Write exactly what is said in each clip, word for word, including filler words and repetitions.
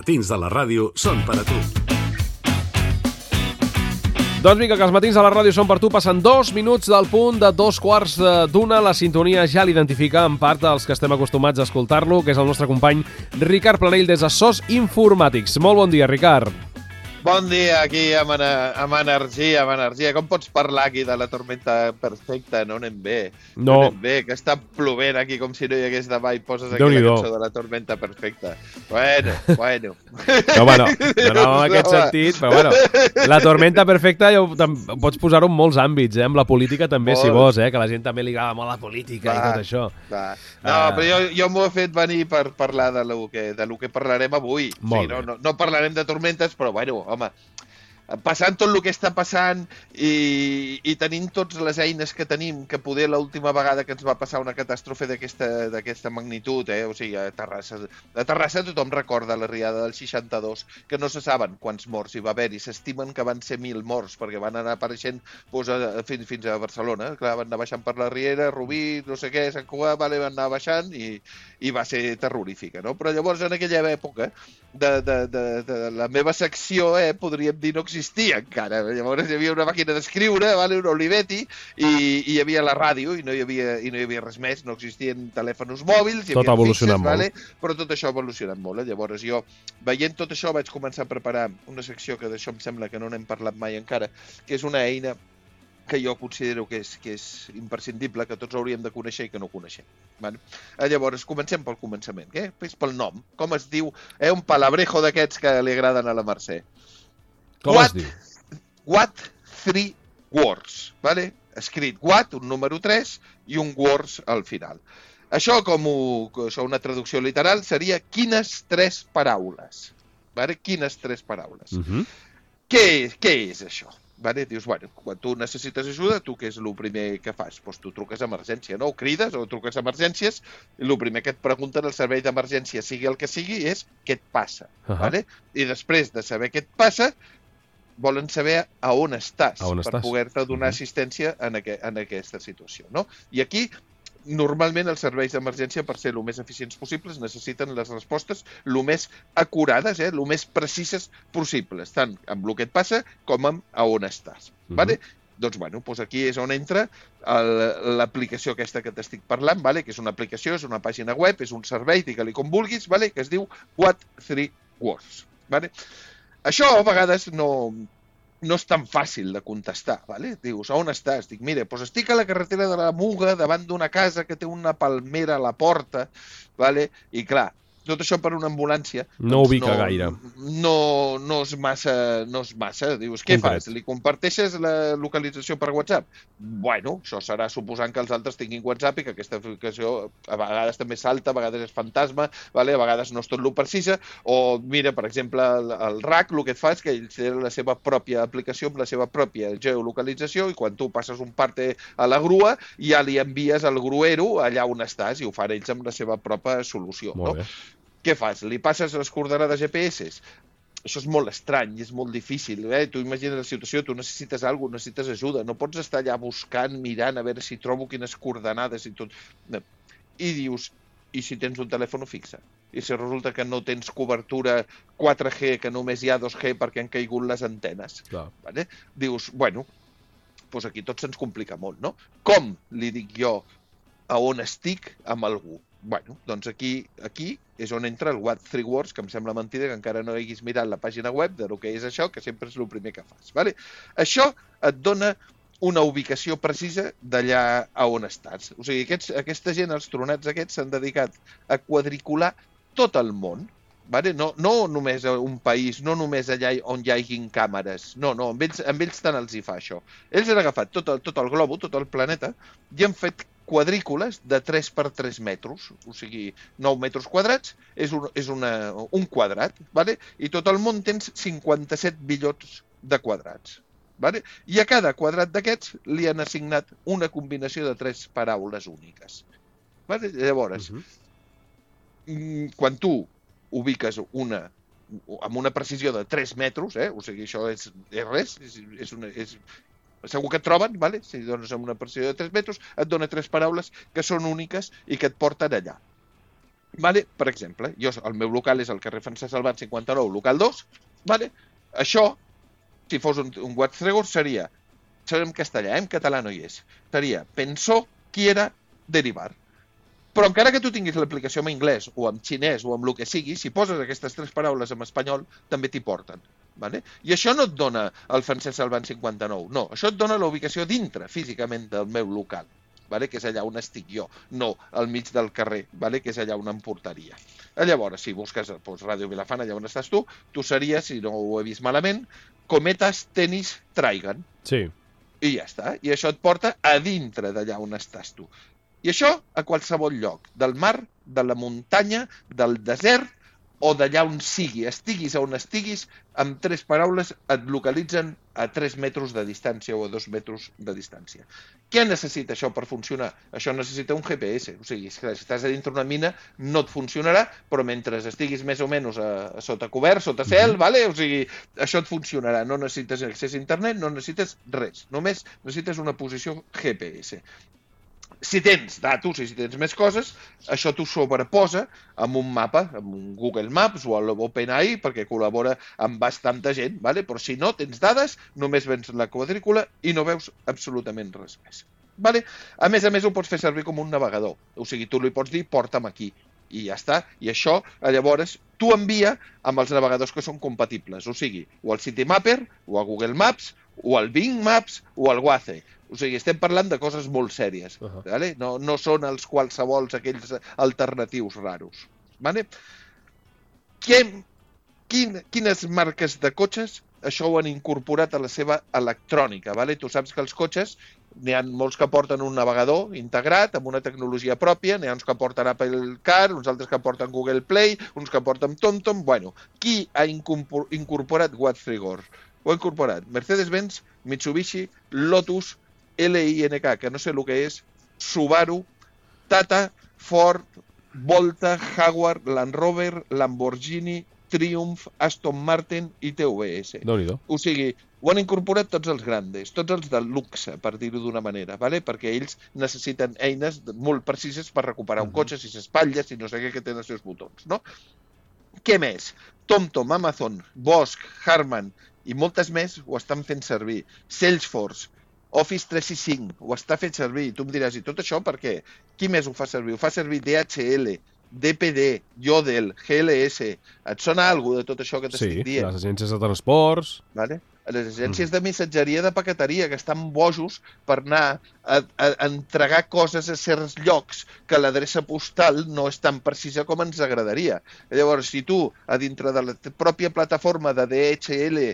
matins de la ràdio són per a tu. Doncs vinga, que els matins de la ràdio són per tu. Passen dos minuts del punt de dos quarts d'una. La sintonia ja l'identifica en part dels que estem acostumats a escoltar-lo, que és el nostre company Ricard Planell des de SOS Informàtics. Molt bon dia, Ricard. Bon dia, aquí amb, amb energia, amb energia. Com pots parlar aquí de la tormenta perfecta? No anem bé. No. No anem bé, que està plovent aquí com si no hi hagués demà i poses aquí la cançó de la tormenta perfecta. Bueno, bueno. No, bueno, no, no en aquest sentit, però bueno, la tormenta perfecta ja pots posar-ho en molts àmbits, eh? Amb la política també, molt. Si vols, eh? Que a la gent també li agrada molt la política va, i tot això. Va. No, uh... però jo, jo m'ho he fet venir per parlar de lo que, de lo que parlarem avui. O sigui, no, no, no parlarem de tormentes, però bueno, home, passant tot el que està passant i, i tenint totes les eines que tenim, que poder l'última vegada que ens va passar una catàstrofe d'aquesta magnitud, eh? O sigui, a Terrassa, a Terrassa tothom recorda la riada del seixanta-dos, que no se saben quants morts hi va haver, i s'estimen que van ser mil morts, perquè van anar apareixent doncs, a, fins, fins a Barcelona. Clar, van anar baixant per la Riera, Rubí, no sé què, Sant Cugat, vale, van anar baixant i, i va ser terrorífica, no? Però llavors, en aquella època, de, de, de, de la meva secció, eh, podríem dir, no existia encara. Llavors hi havia una màquina d'escriure, vale, un Olivetti, i, i hi havia la ràdio, i no hi havia, i no hi havia res més, no existien telèfons mòbils, hi tot havia ha evolucionat fixes, molt. Vale, però tot això ha evolucionat molt. Eh? Llavors jo, veient tot això, vaig començar a preparar una secció que d'això em sembla que no n'hem parlat mai encara, que és una eina que jo considero que és, que és imprescindible, que tots hauríem de conèixer i que no coneixem. Vale? Llavors, comencem pel començament. Què? És pel nom. Com es diu? Eh, un palabrejo d'aquests que li agraden a la Mercè. Com what, es diu? What three words. Vale? Escrit what, un número tres, i un words al final. Això, com ho, això una traducció literal, seria quines tres paraules. Vale? Quines tres paraules. Uh-huh. Què, què és això? Vale? Dius, bueno, quan tu necessites ajuda, tu què és el primer que fas? Doncs tu truques a emergència, no? O crides o truques a emergències, i el primer que et pregunten al servei d'emergència, sigui el que sigui, és què et passa. Uh-huh. Vale? I després de saber què et passa, volen saber a on estàs, a on per estàs? poder-te donar uh-huh. assistència en, aqu en aquesta situació, no? I aquí, normalment, els serveis d'emergència, per ser el més eficients possibles, necessiten les respostes el més acurades, eh, el més precises possibles, tant amb el que et passa com amb a on estàs. Uh-huh. Vale? Doncs, bueno, doncs aquí és on entra l'aplicació aquesta que t'estic parlant, vale? Que és una aplicació, és una pàgina web, és un servei, digue-li com vulguis, vale? Que es diu What three words. Vale? Això a vegades no... no és tan fàcil de contestar, vale? Dius, a on estàs? Dic, mira, doncs estic a la carretera de la Muga, davant d'una casa que té una palmera a la porta, vale? I clar, tot això per una ambulància... No doncs ubica no, gaire. No, no, és massa, no és massa. Dius, què Concret. fas? Li comparteixes la localització per WhatsApp? Bueno, això serà suposant que els altres tinguin WhatsApp i que aquesta aplicació a vegades també salta, a vegades és fantasma, vale? A vegades no és tot lo precisa, o mira, per exemple, el, el R A C el que et fa és que ell té la seva pròpia aplicació amb la seva pròpia geolocalització, i quan tu passes un parte a la grua ja li envies al gruero allà on estàs, i ho fan ells amb la seva pròpia solució. Molt no? bé. Què fas? Li passes les coordenades G P S? Això és molt estrany i és molt difícil. Eh? Tu imagines la situació, tu necessites alguna cosa, necessites ajuda, no pots estar allà buscant, mirant, a veure si trobo quines coordenades i tot. I dius, i si tens un telèfon fixe? I si resulta que no tens cobertura quatre G, que només hi ha dos G perquè han caigut les antenes? Clar. Vale? Dius, bueno, doncs aquí tot se'ns complica molt, no? Com li dic jo a on estic amb algú? Bueno, doncs aquí, aquí és on entra el What three words, que em sembla mentida que encara no haguis mirat la pàgina web de lo que és això, que sempre és el primer que fas. Vale? Això et dona una ubicació precisa d'allà a on estàs. O sigui, aquests, aquesta gent, els tronats aquests, s'han dedicat a quadricular tot el món. Vale? No, no només a un país, no només allà on hi hagin càmeres. No, no, amb ells, amb ells tant els hi fa això. Ells han agafat tot el, tot el globo, tot el planeta, i han fet quadrícules de tres per tres metres, o sigui, nou metres quadrats, és un, és una, un quadrat, vale? I tot el món tens cinquanta-set bilions de quadrats. Vale? I a cada quadrat d'aquests li han assignat una combinació de tres paraules úniques. Vale? Llavors, uh-huh. quan tu ubiques una amb una precisió de tres metres, eh? O sigui, això és, és res, és, és una... És, segur que et troben, vale? Si dones amb una precisió de tres metres, et dona tres paraules que són úniques i que et porten allà. Vale? Per exemple, jo, el meu local és el carrer Francesc Salvat cinquanta-nou, local dos. Vale? Això, si fos un, un Wattstregor, seria, serà en castellà, eh? En català no hi és, seria pensó, quiera, derivar. Però encara que tu tinguis l'aplicació en anglès o en xinès o amb el que sigui, si poses aquestes tres paraules en espanyol, també t'hi porten. Vale? I això no et dona el Francesc Salvat cinquanta-nou, no. Això et dona la ubicació dintre, físicament, del meu local, vale? Que és allà on estic jo, no al mig del carrer, vale? Que és allà on em portaria. Llavors, si busques doncs, Ràdio Vilafant, allà on estàs tu, tu series, si no ho he vist malament, Cometes Tenis Traigan. Sí. I ja està. I això et porta a dintre d'allà on estàs tu. I això a qualsevol lloc, del mar, de la muntanya, del desert o d'allà on sigui, estiguis on estiguis, amb tres paraules et localitzen a tres metres de distància o a dos metres de distància. Què necessita això per funcionar? Això necessita un G P S, o sigui, si estàs a dintre una mina no et funcionarà, però mentre estiguis més o menys a, a sota cobert, sota cel, mm-hmm. vale? O sigui, això et funcionarà, no necessites accés a internet, no necessites res, només necessites una posició G P S. Si tens datos i si tens més coses, això t'ho sobreposa amb un mapa, amb un Google Maps o l'OpenAI, perquè col·labora amb bastanta gent, vale? Però si no tens dades, només vens la quadrícula i no veus absolutament res més. Vale? A més a més, ho pots fer servir com un navegador. O sigui, tu li pots dir, porta'm aquí. I ja està. I això, llavors, t'ho envia amb els navegadors que són compatibles. O sigui, o al Citymapper, o a Google Maps, o al Bing Maps, o al Waze. O sigui, estem parlant de coses molt sèries. Uh-huh. Vale? No, no són els qualsevols aquells alternatius raros. Vale? Què, quin, quines marques de cotxes això ho han incorporat a la seva electrònica? Vale? Tu saps que els cotxes n'hi ha molts que porten un navegador integrat amb una tecnologia pròpia, n'hi ha uns que porten Apple Car, uns altres que porten Google Play, uns que porten TomTom. Bueno, qui ha incorporat Wattstregor? Ho ha incorporat Mercedes-Benz, Mitsubishi, Lotus, L I N K, que no sé el que és, Subaru, Tata, Ford, Volta, Jaguar, Land Rover, Lamborghini, Triumph, Aston Martin i T V S. Déu-n'hi-do. O sigui, ho han incorporat tots els grandes, tots els de luxe, per dir-ho d'una manera, ¿vale? Perquè ells necessiten eines molt precises per recuperar un cotxe, si s'espatlla, si no sé què, que tenen els seus botons, no? Què més? TomTom, Amazon, Bosch, Harman i moltes més ho estan fent servir. Salesforce, Office tres seixanta-cinc, ho està fent servir. Tu em diràs, i tot això per què? Qui més ho fa servir? Ho fa servir D H L, D P D, Yodel, G L S. Et sona alguna cosa de tot això que t'estic dient? Sí, les agències de transports... Vale? Les agències de missatgeria de paqueteria, que estan bojos per anar a, a, a entregar coses a certs llocs que l'adreça postal no és tan precisa com ens agradaria. Llavors, si tu, a dintre de la pròpia plataforma de D H L,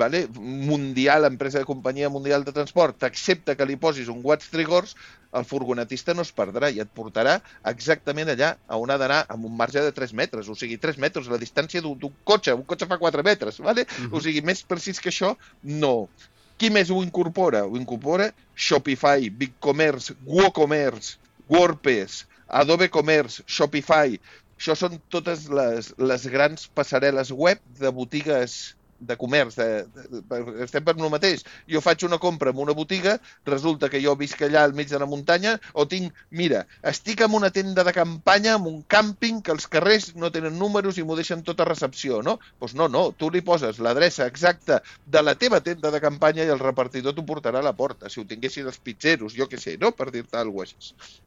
vale, mundial, empresa de companyia mundial de transport, t'accepta que li posis un Wattstregor, el furgonetista no es perdrà i et portarà exactament allà on ha d'anar, amb un marge de tres metres, o sigui, tres metres, la distància d'un cotxe, un cotxe fa quatre metres, vale? Uh-huh. O sigui, més precís que això, no. Qui més ho incorpora? Ho incorpora Shopify, BigCommerce, WooCommerce, WordPress, Adobe Commerce, Shopify. Això són totes les, les grans passarel·les web de botigues de comerç, de, de, de, estem per el mateix. Jo faig una compra en una botiga, resulta que jo visc allà al mig de la muntanya, o tinc, mira, estic en una tenda de campanya, en un càmping, que els carrers no tenen números i m'ho deixen tota recepció, no? Doncs no, no, tu li poses l'adreça exacta de la teva tenda de campanya i el repartidor t'ho portarà a la porta, si ho tinguessin els pitxeros, jo què sé, no? Per dir-te alguna cosa així.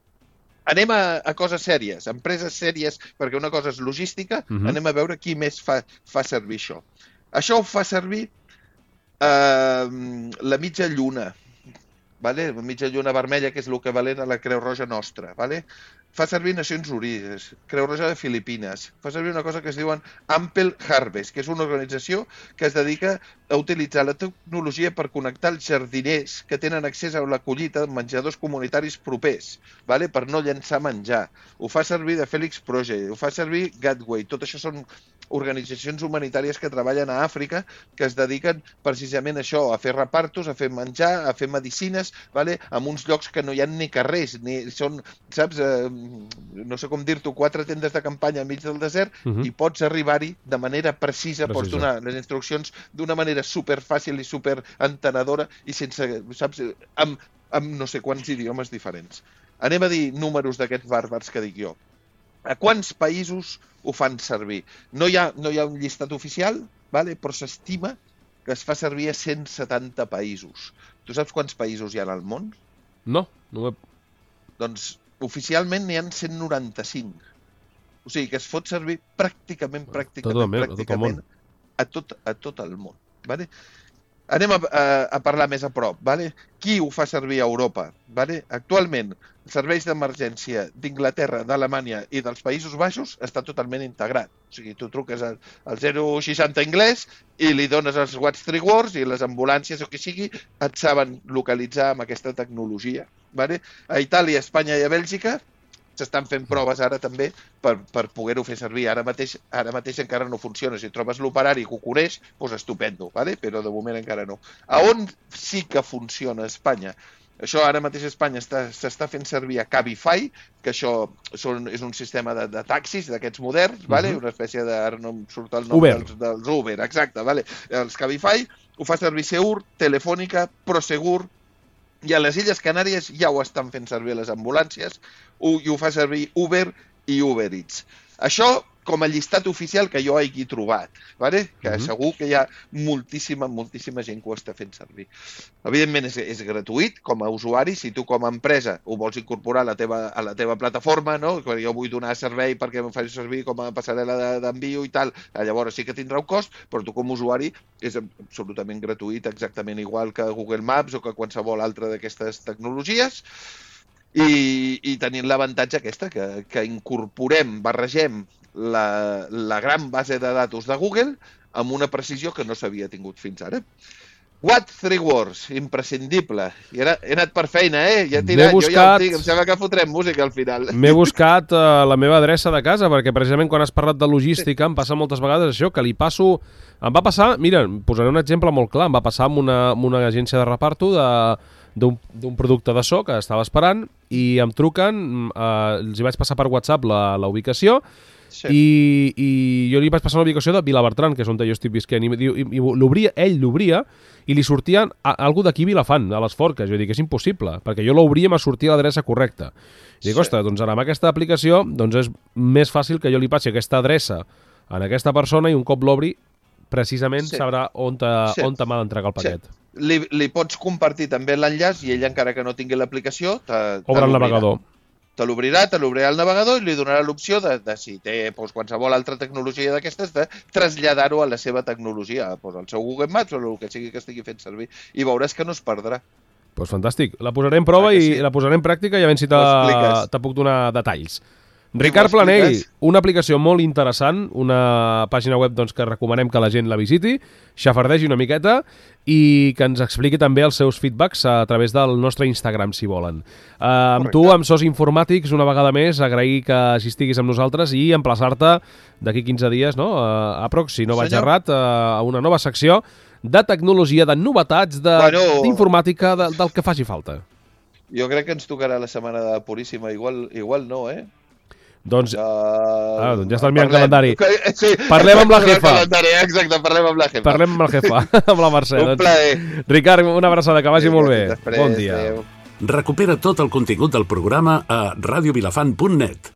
Anem a, a coses sèries, empreses sèries, perquè una cosa és logística, uh-huh. Anem a veure qui més fa, fa servir això. Això ho fa servir eh, la mitja lluna, vale? La mitja lluna vermella, que és l'equivalent a la Creu Roja nostra. Vale? Fa servir Nacions Unides, Creu Roja de Filipines, fa servir una cosa que es diuen Ample Harvest, que és una organització que es dedica a utilitzar la tecnologia per connectar els jardiners que tenen accés a la collita de menjadors comunitaris propers, vale? Per no llançar menjar. Ho fa servir de Felix Project, ho fa servir Gateway, tot això són organitzacions humanitàries que treballen a Àfrica, que es dediquen precisament a això, a fer repartos, a fer menjar, a fer medicines, vale? En uns llocs que no hi ha ni carrers, ni són, saps, eh, no sé com dir-t'ho, quatre tendes de campanya al mig del desert, uh-huh. I pots arribar-hi de manera precisa, precisa, pots donar les instruccions d'una manera superfàcil i superentenedora i sense, saps, amb, amb no sé quants idiomes diferents. Anem a dir números d'aquests bàrbars que dic jo. A quants països ho fan servir? No hi ha, no hi ha un llistat oficial, vale? Però s'estima que es fa servir a cent setanta països. Tu saps quants països hi ha al món? No, no ho he... Doncs oficialment n'hi ha cent noranta-cinc. O sigui que es fot servir pràcticament, pràcticament, tot el, pràcticament tot a, tot, a tot el món. Vale? Anem a, a, a parlar més a prop. Vale? Qui ho fa servir a Europa? Vale? Actualment, els serveis d'emergència d'Inglaterra, d'Alemanya i dels Països Baixos està totalment integrat. O sigui, tu truques al, al zero seixanta anglès i li dones els What's Three Words i les ambulàncies o que sigui et saben localitzar amb aquesta tecnologia. Vale? A Itàlia, Espanya i a Bèlgica s'estan fent proves ara també per, per poder-ho fer servir. Ara mateix, ara mateix encara no funciona. Si trobes l'operari que ho coneix, doncs estupendo, vale? Però de moment encara no. A on sí que funciona a Espanya? Això ara mateix a Espanya s'està fent servir a Cabify, que això són, és un sistema de, de taxis d'aquests moderns, vale? Uh-huh. Una espècie de... Ara no em surt el nom Uber. dels, dels Uber, exacte. Vale? Els Cabify ho fa servir Seur, Telefònica, Prosegur, i a les Illes Canàries ja ho estan fent servir les ambulàncies i ho fa servir Uber i Uber Eats. Això com a llistat oficial que jo hagi trobat, vale? Que uh-huh. segur que hi ha moltíssima, moltíssima gent que ho està fent servir. Evidentment és, és gratuït com a usuari, si tu com a empresa ho vols incorporar a la teva, a la teva plataforma, no? Jo vull donar servei perquè em faci servir com a passarel·la d'envio i tal, llavors sí que tindrà un cost, però tu com a usuari és absolutament gratuït, exactament igual que Google Maps o que qualsevol altra d'aquestes tecnologies. I, i tenint l'avantatge aquesta, que, que incorporem, barregem la, la gran base de datos de Google amb una precisió que no s'havia tingut fins ara. What Three Words, imprescindible. I ara he anat per feina, eh? Ja tirat, buscat... jo ja ho tinc, em sembla que fotrem música al final. M'he buscat uh, la meva adreça de casa, perquè precisament quan has parlat de logística em passa moltes vegades això, que li passo... Em va passar, mira, posaré un exemple molt clar, em va passar amb una, amb una agència de reparto de... d'un producte de so que estava esperant i em truquen, eh, els hi vaig passar per WhatsApp la, la ubicació sí. i, i jo li vaig passar la ubicació de Vilabertran, que és on jo estic visquent, i, i, i l'obria, ell l'obria i li sortia a, algú d'aquí Vilafant, a les Forques. Jo dic, és impossible, perquè jo l'obria i me sortia l'adreça correcta. I dic, sí. ostres, doncs ara amb aquesta aplicació doncs és més fàcil que jo li passi aquesta adreça a aquesta persona i un cop l'obri precisament sí. sabrà on, te, sí. on te m'ha d'entregar el paquet. Sí. Li, li pots compartir també l'enllaç i ell, encara que no tingui l'aplicació, obre el navegador. Te l'obrirà, te l'obrirà el navegador i li donarà l'opció de, de si té doncs, qualsevol altra tecnologia d'aquestes, de traslladar-ho a la seva tecnologia, doncs, al seu Google Maps o el que sigui que estigui fent servir. I veuràs que no es perdrà. Doncs pues fantàstic. La posaré en prova i sí. la posaré en pràctica i a veure si te puc donar detalls. Ricard Planell, una aplicació molt interessant, una pàgina web doncs, que recomanem que la gent la visiti, xafardegi una miqueta i que ens expliqui també els seus feedbacks a través del nostre Instagram, si volen. Uh, amb tu, amb Sos Informàtics, una vegada més, agrair que assistiguis amb nosaltres i emplaçar-te d'aquí quinze dies, no? Uh, aprox, si no vaig errat, uh, a una nova secció de tecnologia, de novetats, d'informàtica, de, del que faci falta. Jo crec que ens tocarà la setmana de Puríssima, igual, igual no, eh? Doncs, uh, ah, doncs ja està el mirant calendari. Sí, parlem amb la jefa. Exacte, parlem amb la jefa. Parlem amb la jefa, amb la Mercè. Un doncs. plaer. Ricard, una abraçada, que vagi sí, molt bé. Després, bon dia. Recupera tot el contingut del programa a radiovilafant punt net.